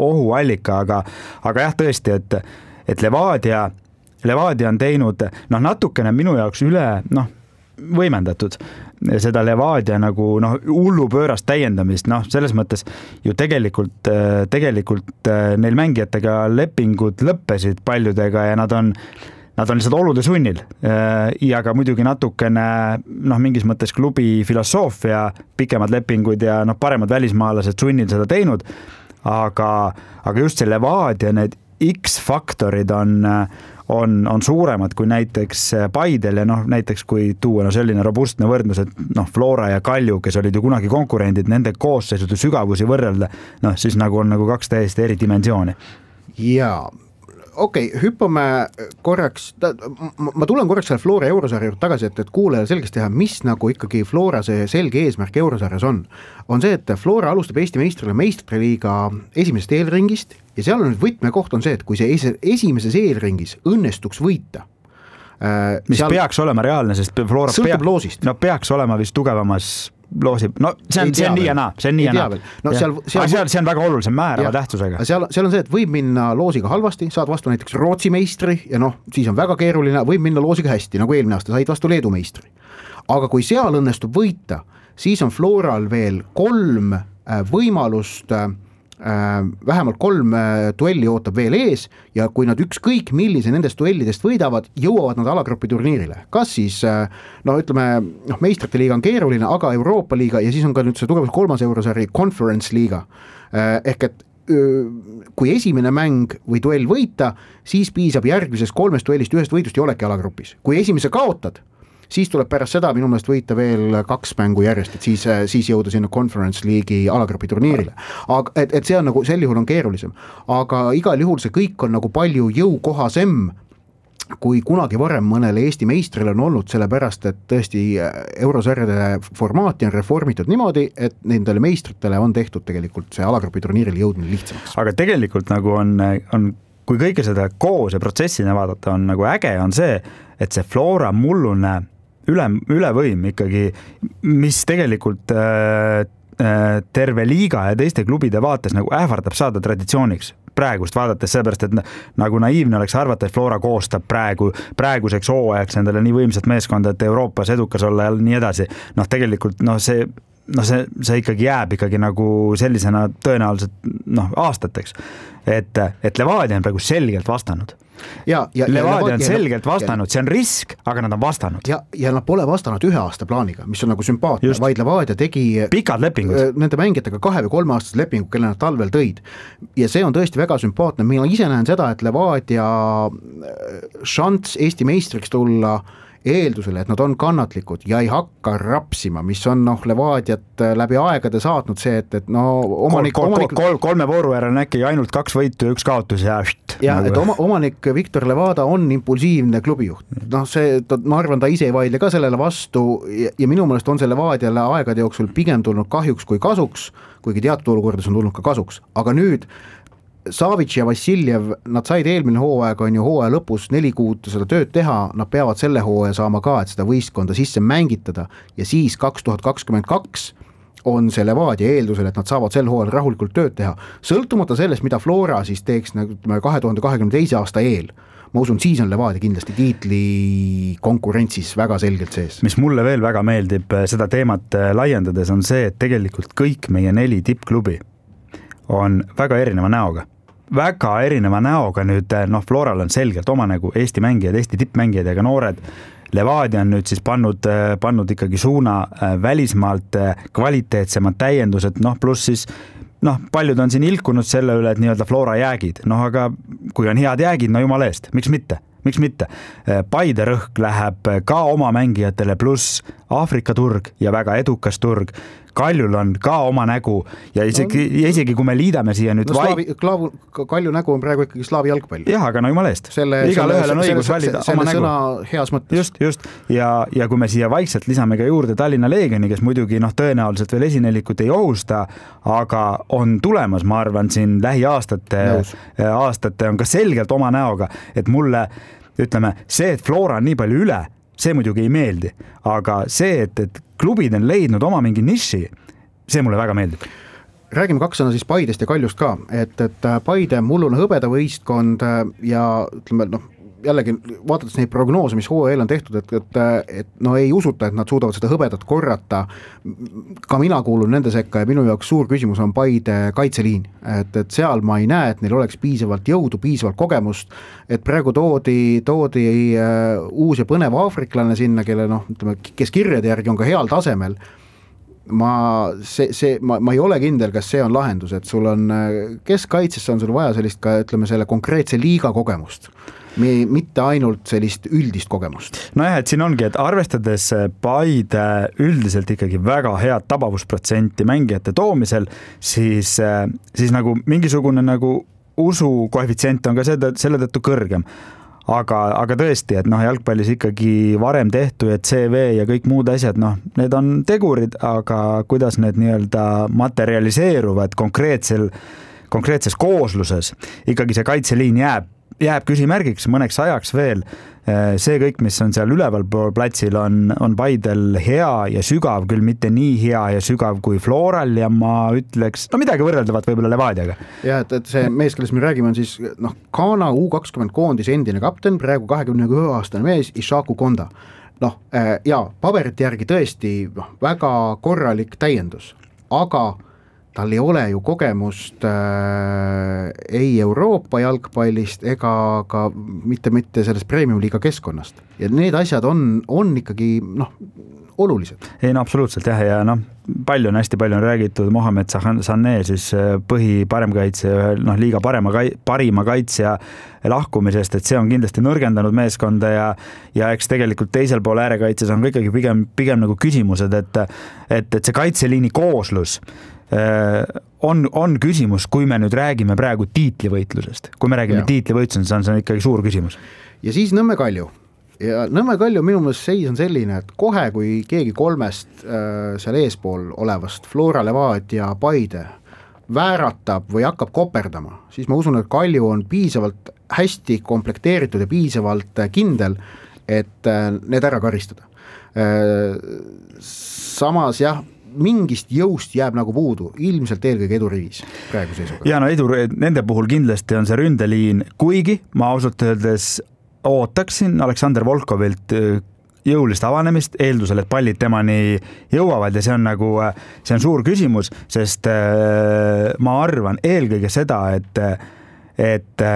ohuallika, aga, aga jah, tõesti, et, et Levadia, Levadia on teinud noh, natukene minu jaoks üle, noh, võimendatud seda Levadia nagu noh, hullupöörast täiendamist, noh, selles mõttes ju tegelikult, tegelikult neil mängijatega lepingud lõppesid paljudega ja nad on Nad on lihtsalt olude sunnil ja ka muidugi natukene noh, mingis mõttes klubi filosoofia, pikemad lepingud ja noh, paremad välismaalased sunnil seda teinud, aga, aga just see Levadia, need X-faktorid on on, on suuremad kui näiteks Paidel ja noh, näiteks kui tuua no selline robustne võrdlus, et noh, Flora ja Kalju, kes olid ju kunagi konkurendid, nende koosseisud ja sügavusi võrrelda, noh, siis nagu on nagu kaks täiesti eri dimensiooni.
Jaa, okei, okay, hüppame korraks, ma tulen korraks selle Flora Eurosarja juurde tagasi, et, et kuulajale selgeks teha, mis nagu ikkagi Flora see selge eesmärk Eurosarjas on. On see, et Flora alustab Eesti meistrile meistriliiga esimesest eelringist ja seal on nüüd võtmekoht on see, et kui see esimeses eelringis õnnestuks võita,
mis seal peaks olema reaalne, sest Flora
sõltub pea, loosist.
No peaks olema vist tugevamas loosi, no see on, see on nii ja naa, see on nii ja naa.
No, seal, seal,
seal, see on väga oluline, see on määrava tähtsusega.
Seal, seal on see, et võib minna loosiga halvasti, saad vastu näiteks Rootsi meistri ja noh, siis on väga keeruline, võib minna loosiga hästi, nagu eelmine aasta said vastu Leedu meistri. Aga kui seal õnnestub võita, siis on Floral veel kolm võimalust, vähemalt kolm duelli ootab veel ees ja kui nad ükskõik millise nendest duellidest võidavad, jõuavad nad alagrupi turniirile. Kas siis, no ütleme, noh, meistrite liiga on keeruline, aga Euroopa liiga ja siis on ka nüüd see tugevus kolmas eurosari Conference liiga. Ehk et kui esimene mäng või duell võita, siis piisab järgmises kolmest duellist ühest võidust ja oleki alagrupis. Kui esimese kaotad, siis tuleb pärast seda minu meelest võita veel kaks mängu järjest, et siis, siis jõuda sinna Conference liigi alagrupi turniirile. Aga, et, et see on nagu, sel juhul on keerulisem. Aga igal juhul see kõik on nagu palju jõukohasem, kui kunagi varem mõnele Eesti meistrile on olnud, sellepärast, et tõesti eurosarjade formaati on reformitud niimoodi, et nendele meistritele on tehtud tegelikult see alagrupi turniiril jõudmine lihtsamaks.
Aga tegelikult nagu on, on kui kõike seda koos ja protsessina vaadata, on nagu äge on see, et see Flora mullune üle, ülevõim ikkagi, mis tegelikult äh, terve liiga ja teiste klubide vaates nagu ähvardab saada traditsiooniks praegust vaadates, seepärast, et nagu naiivne oleks arvata, et Flora koostab praegu, praeguseks hooajaks endale nii võimsat meeskonda, et Euroopas edukas olla ja nii edasi. Noh, tegelikult noh, see no see, see ikkagi jääb ikkagi nagu sellisena tõenäoliselt noh, aastateks, et, et Levadia on praegu selgelt vastanud.
Ja, ja,
Levadia
ja,
on
ja,
selgelt vastanud, see on risk, aga nad on vastanud.
Ja, ja nad pole vastanud ühe aasta plaaniga, mis on nagu sümpaatne, just. Vaid Levadia tegi
pikad lepingud.
Nende mängijatega kahe või kolme aastased lepingud, kelle nad talvel tõid. Ja see on tõesti väga sümpaatne. Mina ise näen seda, et Levadia šants Eesti meistriks tulla eeldusele, et nad on kannatlikud ja ei hakka rapsima, mis on noh, Levadiat läbi aegade saatnud see, et, et no omanik,
kol, kol,
omanik...
Kol, kolme vooru järel on äkki ainult kaks võitu ja üks kaotus ja št,
ja
nagu...
et oma, omanik Viktor Levada on impulsiivne klubijuht. Noh, see, ta, ma arvan, ta ise ei vaidle ka sellele vastu ja, ja minu meelest on see Levadiale aegade jooksul pigem tulnud kahjuks kui kasuks, kuigi teatud olukordades on tulnud ka kasuks, aga nüüd Savic ja Vassiljev, nad said eelmine hooaeg on ju hooaja lõpus neli kuud seda tööd teha, nad peavad selle hooaja saama ka, et seda võistkonda sisse mängitada ja siis kaks tuhat kakskümmend kaks on see Levadia eeldusel, et nad saavad sel hooajal rahulikult tööd teha, sõltumata sellest, mida Flora siis teeks nagu kahe tuhande kahekümne teise aasta eel. Ma usun, siis on Levadia kindlasti tiitli konkurentsis väga selgelt sees.
Mis mulle veel väga meeldib seda teemat laiendades on see, et tegelikult kõik meie neli tippklubi on väga erineva näoga. Väga erineva näoga nüüd, noh, Floral on selgelt oma nagu Eesti mängijad, Eesti tippmängijad ja ka noored. Levadia on nüüd siis pannud, pannud ikkagi suuna välismaalt kvaliteetsemad täiendused, noh, pluss siis noh, paljud on siin ilkunud selle üle, et nii-öelda Flora jäägid, noh, aga kui on head jäägid, no jumala eest, miks mitte? miks mitte. Paide rõhk läheb ka oma mängijatele, pluss Aafrika turg ja väga edukas turg. Kaljul on ka oma nägu ja isegi, no, ja isegi kui me liidame siia nüüd
no, slaavi, klaavu, Kalju nägu on praegu ikkagi slaavi jalgpall.
Jah, aga no jumala eest. Igal ühel on õigus valida oma nägu.
Heas mõttes.
Just, just. Ja, ja kui me siia vaikselt lisame ka juurde Tallinna Leegioni, kes muidugi noh, tõenäoliselt veel esinelikut ei ohusta, aga on tulemas, ma arvan, siin lähiaastate aastate on ka selgelt oma näoga, et mulle, ütleme, see, et Flora on nii palju üle, see muidugi ei meeldi, aga see, et, et klubid on leidnud oma mingi niši, see mulle väga meeldib.
Räägime kaks sõna siis Paidest ja Kaljust ka, et, et Paide mullune hõbedavõistkond ja ütleme, noh, jällegi vaadates neid prognoose, mis hooajal on tehtud, et, et, et no ei usuta, et nad suudavad seda hõbedat korrata. Ka mina kuulun nende sekka ja minu jaoks suur küsimus on Paide kaitseliin, et, et seal ma ei näe, et neil oleks piisavalt jõudu, piisavalt kogemust, et praegu toodi, toodi uh, uus ja põnev aafriklane sinna, kelle noh, ütleme, kes kirjade järgi on ka heal tasemel. Ma, see, see, ma, ma ei ole kindel, kas see on lahendus, et sul on keskkaitsesse on sul vaja sellist ka, ütleme, selle konkreetse liiga kogemust. Me, mitte ainult sellist üldist kogemust.
No jah, et siin ongi, et arvestades Paide üldiselt ikkagi väga head tabavusprotsenti mängijate toomisel, siis, siis nagu mingisugune nagu usu koefitsient on ka selle, selle tõttu kõrgem. Aga, aga tõesti, et noh, jalgpallis ikkagi varem tehtu ja C V ja kõik muud asjad, noh, need on tegurid, aga kuidas need nii-öelda materialiseeruvad konkreetsel, konkreetses koosluses, ikkagi see kaitseliin jääb jääb küsimärgiks mõneks ajaks veel. See kõik, mis on seal üleval platsil, on, on Paidel hea ja sügav, küll mitte nii hea ja sügav kui Floral ja ma ütleks, no midagi võrreldavat võib-olla Levadiaga.
Ja, et, et see mees, kellest me räägime, on siis noh, Ghana U kakskümmend koondis endine kapten, praegu kahekümne ühe aastane mees, Ishaku Konda. Noh, ja paberite järgi tõesti noh, väga korralik täiendus, aga tal ei ole ju kogemust äh, ei Euroopa jalgpallist ega ka mitte, mitte sellest premium-liiga keskkonnast. Ja need asjad on, on ikkagi noh, olulised.
Ei no absoluutselt jah, ja noh, palju on, hästi palju on räägitud Mohamed Sané, siis põhi paremkaitse, noh, liiga parema, parima kaitsja lahkumisest, et see on kindlasti nõrgendanud meeskonda ja, ja eks tegelikult teisel pool äärekaitses on ikkagi pigem, pigem nagu küsimused, et, et, et see kaitseliini kooslus on, on küsimus, kui me nüüd räägime praegu tiitlivõitlusest. Kui me räägime ja. tiitlivõitlusest, see on, see on ikkagi suur küsimus.
Ja siis Nõmme Kalju. Ja Nõmme Kalju minu meelest seis on selline, et kohe, kui keegi kolmest äh, seal eespool olevast Flora, Levadia, Paide vääratab või hakkab koperdama, siis ma usun, et Kalju on piisavalt hästi komplekteeritud ja piisavalt kindel, et äh, need ära karistada. Äh, samas jah, mingist jõust jääb nagu puudu, ilmselt eelkõige edurivis praegu seisuga.
Ja no edur, nende puhul kindlasti on see ründeliin, kuigi ma ausalt öeldes ootaksin Aleksander Volkovilt jõulist avanemist, eeldusel, et pallid temani jõuavad ja see on nagu, see on suur küsimus, sest ma arvan eelkõige seda, et, et,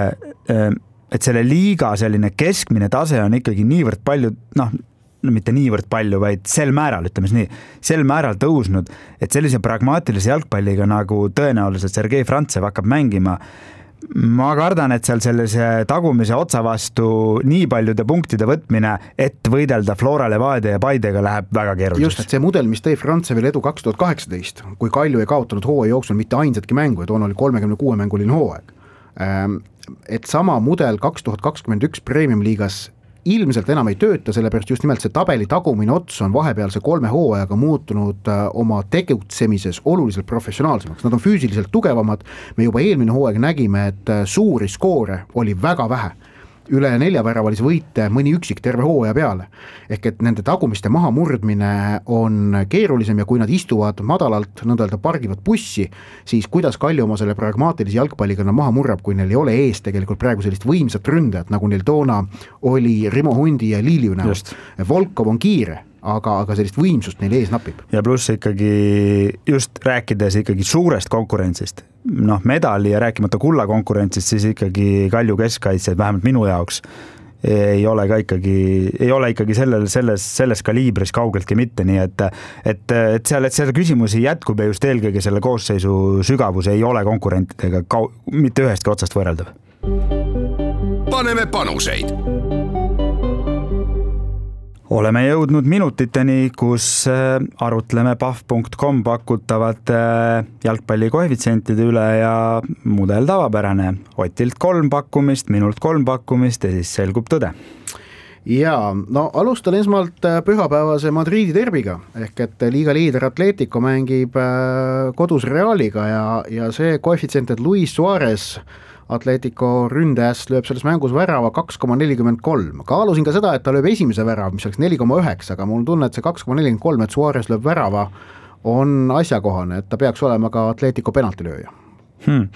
et selle liiga selline keskmine tase on ikkagi niivõrd palju, noh, no mitte niivõrd palju, vaid sel määral, ütleme nii, sel määral tõusnud, et sellise pragmaatilise jalgpalliga nagu tõenäoliselt Sergei Frantsev hakkab mängima. Ma kardan, et seal sellise tagumise otsa vastu nii paljude punktide võtmine, et võidelda Flora, Levadia ja Paidega läheb väga keeruliseks.
Just, et see mudel, mis tõi Frantsevil edu kaks tuhat kaheksateist, kui Kalju ei kaotanud hooaja jooksul mitte ainsatki mängu ja toona oli kolmekümne kuue mänguline hooaeg. Et sama mudel kaks tuhat kakskümmend üks Premium liigas ilmselt enam ei tööta, sellepärast just nimelt see tabeli tagumine ots on vahepealse kolme hooajaga muutunud oma tegutsemises oluliselt professionaalsemaks. Nad on füüsiliselt tugevamad, me juba eelmine hooaeg nägime, et suuri skoore oli väga vähe. Üle neljaväravalise võite mõni üksik terve hooaja peale. Ehk et nende tagumiste maha murdmine on keerulisem ja kui nad istuvad madalalt, nõnda pargivad bussi, siis kuidas Kalju oma selle pragmaatilise jalgpalliga maha murrab, kui neil ei ole ees tegelikult praegu sellist võimsat ründajat, nagu neil toona oli Rimo Hundi ja Liiliu näol. Volkov on kiire, aga, aga sellist võimsust neil ees napib.
Ja pluss ikkagi just rääkides ikkagi suurest konkurentsist, noh, medali ja rääkimata kulla konkurentsist, siis ikkagi Kalju keskkaitsjad, vähemalt minu jaoks, ei ole ka ikkagi, ei ole ikkagi sellel, selles, selles kaliibris kaugeltki mitte, nii et, et, et seal, et selle küsimusi jätkub ja just eelkõige selle koosseisu sügavus ei ole konkurentidega kau, mitte ühestki otsast võrreldav.
Paneme panuseid.
oleme jõudnud minutiteni, kus arutleme pahv punkt com pakutavate jalgpalli koefitsientide üle ja mudel tavapärane. Otilt kolm pakkumist, minult kolm pakkumist ja siis selgub tõde.
Ja no alustan esmalt pühapäevase Madridi derbiga ehk et liiga liider Atletico mängib kodus Realiga ja, ja see koefitsient, et Luis Suarez Atletico ründajast lööb selles mängus värava kaks koma nelikümmend kolm. Kaalusin ka seda, et ta lööb esimese värava, mis oleks neli koma üheksa, aga mul on tunne, et see kaks koma nelikümmend kolm, et Suarez lööb värava, on asjakohane, et ta peaks olema ka Atletico penaltilööja.
Hmm.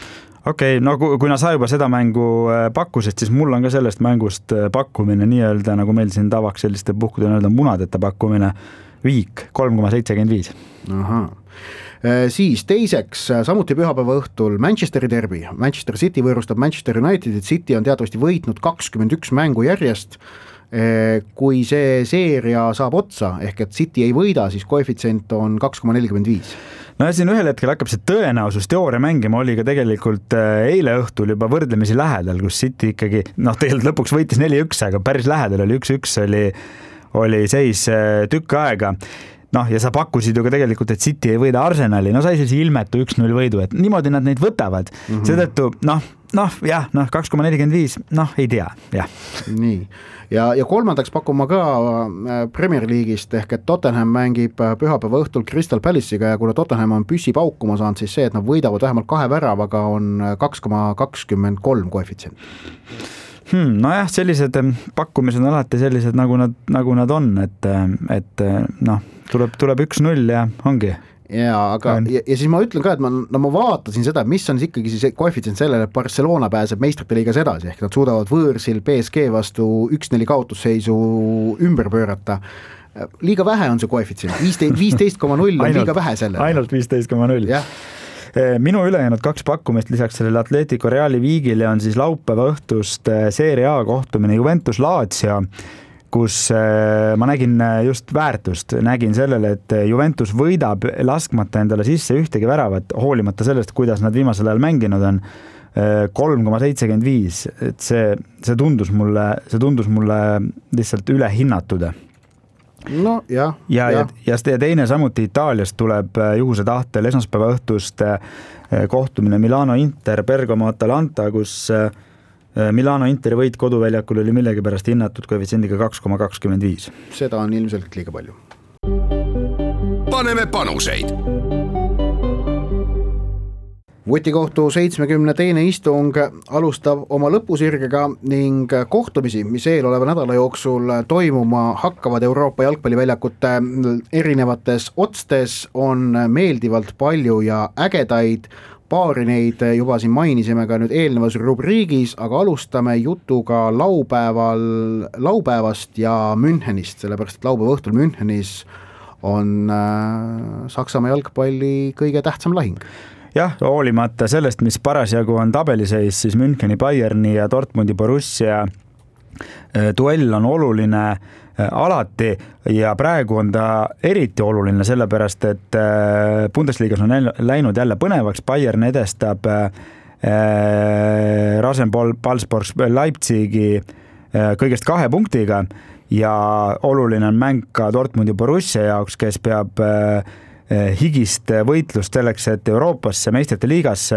Okei, okay, no kuna sa juba seda mängu pakkusid, siis mul on ka sellest mängust pakkumine nii-öelda, nagu meil siin tavaks selliste puhkudel öelda munadeta pakkumine, viik kolm koma seitsekümmend viis.
Ahaa. Siis teiseks, samuti pühapäeva õhtul Manchesteri derbi. Manchester City võõrustab Manchester Unitedit. City on teatavasti võitnud kakskümmend üks mängu järjest. Kui see seeria saab otsa, ehk et City ei võida, siis koefitsient on kaks koma nelikümmend viis.
No ja siin ühel hetkel hakkab see tõenäosus teooria mängima, oli ka tegelikult eile õhtul juba võrdlemisi lähedal, kus City ikkagi, noh tegelikult lõpuks võitis neli üks, aga päris lähedal oli üks üks, oli, oli seis tükk aega. Noh, ja sa pakkusid ju ka tegelikult, et City ei võida Arsenali, no sai siis ilmetu üks null võidu, et niimoodi nad neid võtavad. Mm-hmm. Seetõttu, noh, noh, jah, noh, kaks koma nelikümmend viis, noh, ei tea, jah.
Nii, ja, ja kolmandaks pakuma ka Premier League'ist ehk et Tottenham mängib pühapäeva õhtul Crystal Palace'iga ja kuna Tottenham on püssi paukuma saanud, siis see, et nad võidavad vähemalt kahe väravaga on kaks koma kakskümmend kolm koefitsient.
Hmm, no jah, sellised pakkumised on alati sellised, nagu nad, nagu nad on, et, et noh, tuleb, tuleb üks null ja ongi.
Ja, aga, ja, ja siis ma ütlen ka, et ma, no ma vaatasin seda, mis on ikkagi siis koefitsient sellele, et Barcelona pääseb meistrite liigas edasi, ehk nad suudavad võõrsil P S G vastu üks neli kaotusseisu ümber pöörata. Liiga vähe on see koefitsient, viisteist koma null on liiga vähe sellele.
Ainult viisteist koma null.
Jah.
Minu ülejäänud kaks pakkumist lisaks sellele Atletico Reali viigile on siis laupäeva õhtust Serie A kohtumine Juventus Lazio, kus ma nägin just väärtust, nägin sellele, et Juventus võidab laskmata endale sisse ühtegi väravat, hoolimata sellest, kuidas nad viimasel ajal mänginud on, kolm koma seitsekümmend viis, et see, see tundus mulle, see tundus mulle lihtsalt ülehinnatud.
No, jah,
ja, ja. Ja, ja teine samuti Itaaliast tuleb juhuse tahtel esmaspäeva õhtust kohtumine Milano Inter, Bergamo Atalanta, kus Milano Interi võit koduväljakul oli millegi pärast hinnatud koefitsiendiga kaks koma kakskümmend viis.
Seda on ilmselt liiga palju.
Paneme panuseid.
Vutikohtu seitsmekümne teine istung alustab oma lõpusirgega ning kohtumisi, mis eeloleva nädala jooksul toimuma hakkavad Euroopa jalgpalliväljakute erinevates otstes, on meeldivalt palju ja ägedaid. Paari neid juba siin mainisime ka nüüd eelnevas rubriigis, aga alustame jutuga laupäeval, laupäevast ja Münchenist, sellepärast et laupäeva õhtul Münchenis on äh, Saksamaa jalgpalli kõige tähtsam lahing.
Jah, hoolimata sellest, mis parasjagu on tabeliseis, siis Müncheni Bayerni ja Dortmundi Borussia duell on oluline alati ja praegu on ta eriti oluline sellepärast, et Bundesligas on läinud jälle põnevaks, Bayern edestab Rasenball Leipzigi kõigest kahe punktiga ja oluline on mäng ka Dortmundi Borussia jaoks, kes peab higist võitlust selleks, et Euroopasse meistrite liigasse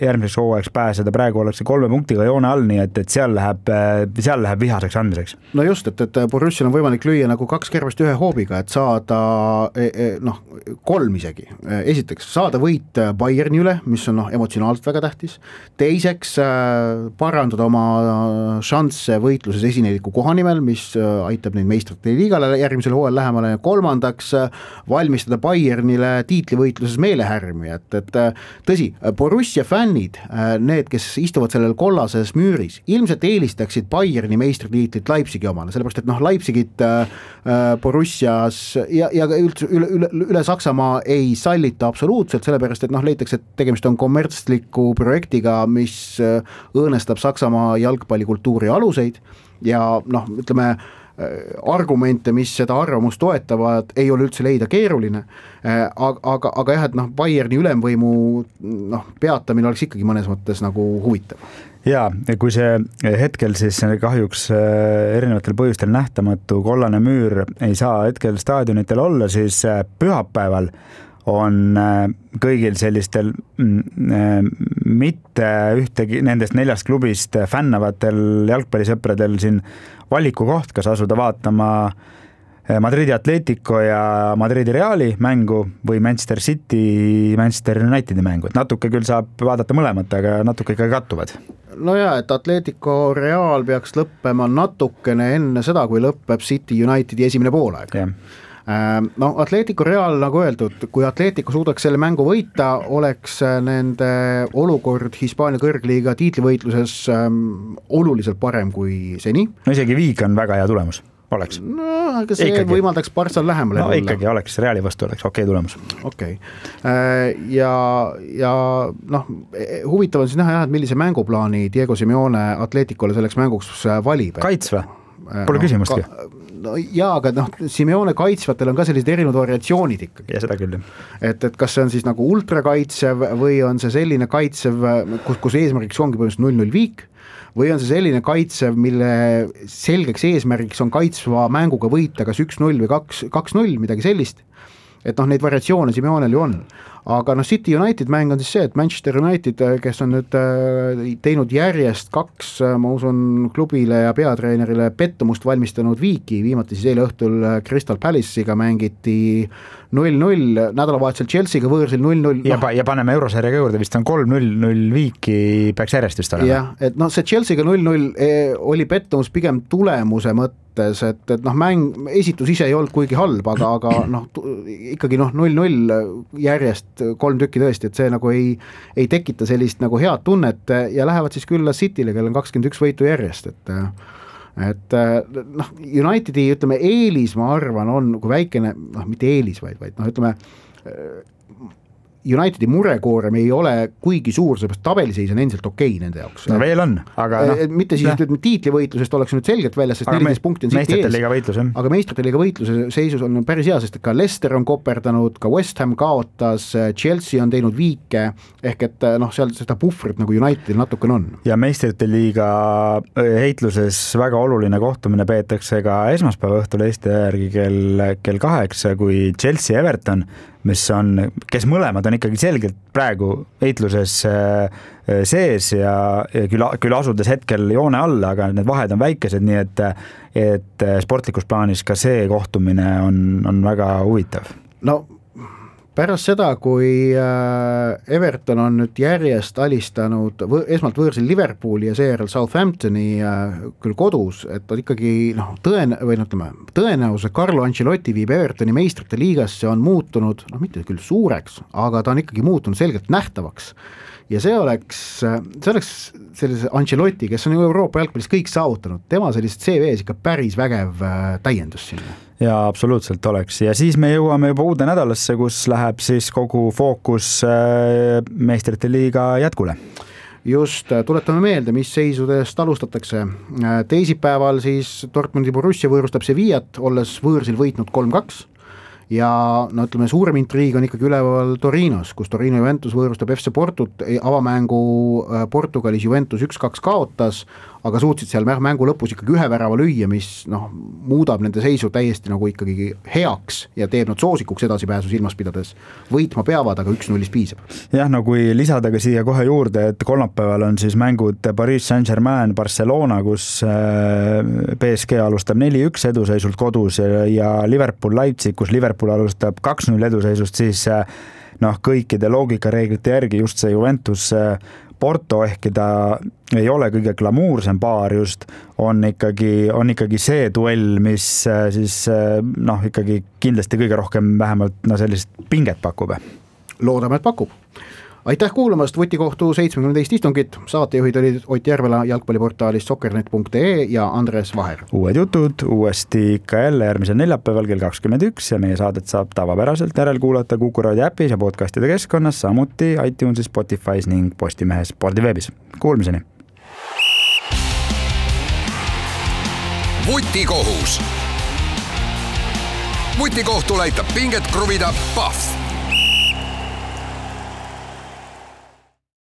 järgmiseks hooajaks pääseda, praegu ollakse kolme punktiga joone all, nii et, et seal läheb, seal läheb vihaseks andmiseks.
No just, et, et Borussial on võimalik lüüa nagu kaks kervest ühe hoobiga, et saada noh, kolm isegi. Esiteks saada võit Bayerni üle, mis on noh, emotsionaalselt väga tähtis. Teiseks parandada oma šansse võitluses esineliku kohanimel, mis aitab neid meistrite liigale järgmisel hooajal lähemale. Kolmandaks valmistada Bayerni tiitlivõitluses meelehärmi, et, et tõsi, Borussia fännid, need, kes istuvad sellel kollases müüris, ilmselt eelistaksid Bayerni meistritiitlit Leipzigi omale, sellepärast, et noh, Leipzigit Borussias ja, ja üldse üle, üle, üle Saksamaa ei sallita absoluutselt, sellepärast, et noh, leitakse, et tegemist on kommertsliku projektiga, mis õõnestab Saksamaa jalgpallikultuuri aluseid ja noh, ütleme, argumente, mis seda arvamust toetavad, ei ole üldse leida keeruline, aga, aga, aga jah, et noh, Bayerni ülemvõimu noh, peatamine oleks ikkagi mõnes mõttes nagu huvitav.
ja kui see hetkel siis kahjuks erinevatel põhjustel nähtamatu kollane müür ei saa hetkel staadionitel olla, siis pühapäeval on kõigil sellistel mitte ühtegi nendest neljast klubist fännavatel jalgpallisõpradel siin valikukoht, kas asuda vaatama Madridi Atletico ja Madridi Reali mängu või Manchester City, Manchester Unitedi mängu. Et natuke küll saab vaadata mõlemat, aga natuke ikka kattuvad.
No jaa, et Atletico Real peaks lõppema natukene enne seda, kui lõppeb City Unitedi esimene poolaeg. No Atletico Real, nagu öeldud, kui Atletico suudaks selle mängu võita, oleks nende olukord Hispaania kõrgliiga tiitlivõitluses ähm, oluliselt parem kui seni.
No isegi viik on väga hea tulemus. Oleks.
No, aga see ikkagi võimaldaks Barssal lähemale.
No ikkagi oleks, Reali vastu oleks okei tulemus.
Okei. Ja, ja noh, huvitav on siis näha, et millise mänguplaani Diego Simeone Atleticole selleks mänguks valib.
Kaitsva? Pole no, küsimustki.
No jaa, aga noh, Simeone kaitsvatel on ka sellised erinevad variatsioonid ikkagi.
Ja seda küll.
Et, et kas see on siis nagu ultrakaitsev või on see selline kaitsev, kus, kus eesmärgiks ongi põhimõtteliselt null null viik, või on see selline kaitsev, mille selgeks eesmärgiks on kaitsva mänguga võita kas üks null või kaks null, midagi sellist. Et noh, neid variatsioone Simeonel ju on. Aga noh, City United mäng on siis see, et Manchester United, kes on nüüd teinud järjest kaks, ma usun, klubile ja peatreenerile pettumust valmistanud viiki, viimati siis eile õhtul Crystal Palace'iga mängiti null null, nädalavahetusel Chelsea'ga võõrsil null null.
Ja, no, ja paneme eurosarjaga juurde, vist on kolm null null viiki peaks järjest vist olema.
Jah, et noh, see Chelsea'ga null null oli pettumus pigem tulemuse mõttes, et, et noh, mäng, esitus ise ei olnud kuigi halb, aga, aga noh, ikkagi noh, null null järjest kolm tükki tõesti, et see nagu ei, ei tekita sellist nagu head tunnet ja lähevad siis külla City'le, kellel on kakskümmend üks võitu järjest, et et noh, Unitedi ütleme eelis, ma arvan, on kui väikene, noh, mitte eelis, vaid, vaid noh, ütleme Unitedi murekoorem ei ole kuigi suur, seepärast tabeliseis on endiselt okei nende jaoks.
No veel on, aga noh.
Mitte siis ütleme tiitlivõitlusest oleks nüüd selgelt väljas, sest neliteist punkti on City ees.
Võitlus,
aga meistrite liiga võitluse seisus on päris hea, sest ka Leicester on koperdanud, ka West Ham kaotas, Chelsea on teinud viike, ehk et noh, seal seda puhvrit nagu Unitedil natuke on.
Ja meistrite liiga heitluses väga oluline kohtumine peetakse ka esmaspäeva õhtul Eesti järgi kell, kell kaheksa, kui Chelsea Everton, mis on, kes mõlemad on ikkagi selgelt praegu heitluses sees ja küll, küll asudes hetkel joone alla, aga need vahed on väikesed, nii et, et sportlikus plaanis ka see kohtumine on, on väga huvitav.
No pärast seda, kui Everton on nüüd järjest alistanud võ- esmalt võõrsil Liverpooli ja seejärel Southamptoni küll kodus, et on ikkagi noh, tõen- või ütleme, tõenäose Carlo Ancelotti viib Evertoni meistrite liigasse on muutunud, noh mitte küll suureks, aga ta on ikkagi muutunud selgelt nähtavaks. Ja see oleks, see oleks sellise Ancelotti, kes on ju Euroopa jalgpallis kõik saavutanud, tema sellist C V-s ikka päris vägev täiendus sinna.
Ja absoluutselt oleks. Ja siis me jõuame juba uude nädalasse, kus läheb siis kogu fookus meistrite liiga jätkule.
Just, tuletame meelde, mis seisudest alustatakse. Teisipäeval siis Dortmundi Borussia võõrustab Sevillat, olles võõrsil võitnud kolm kaks. Ja no ütleme, suurem intriig on ikkagi üleval Torinos, kus Torino Juventus võõrustab F C Portut, avamängu Portugalis Juventus üks kaks kaotas, aga suutsid seal mängu lõpus ikkagi ühe värava lüüa, mis noh, muudab nende seisu täiesti nagu ikkagi heaks ja teeb nad soosikuks edasipääsu silmas pidades. Võitma peavad, aga üks nullist piisab.
Jah, no kui lisada ka siia kohe juurde, et kolmapäeval on siis mängud Paris Saint-Germain, Barcelona, kus P S G alustab neli üks eduseisult kodus ja Liverpool Leipzig, kus Liverpool alustab kaks null eduseisust, siis noh, kõikide loogikareeglite järgi just see Juventus Porto, ehkki ta ei ole kõige glamuursem paar just, on ikkagi, on ikkagi see duell, mis siis noh, ikkagi kindlasti kõige rohkem vähemalt no, sellist pinget pakub.
Loodame, et pakub. Aitäh kuulamast Vutikohtu seitsmekümne teist istungit. Saatejuhid olid Ott Järvela jalgpalliportaalist soccernet punkt ee ja Andres Vaher.
Uued jutud uuesti ikka jälle järgmisel neljapäeval kell kakskümmend üks ja meie saadet saab tavapäraselt järel kuulata Kuku Raadio äpis ja podcastide keskkonnas, samuti iTunesis, Spotify's ning Postimehes spordiveebis. Kuulmiseni!
Vutikohus. Vutikohtul aitab pinget kruvida Pahv.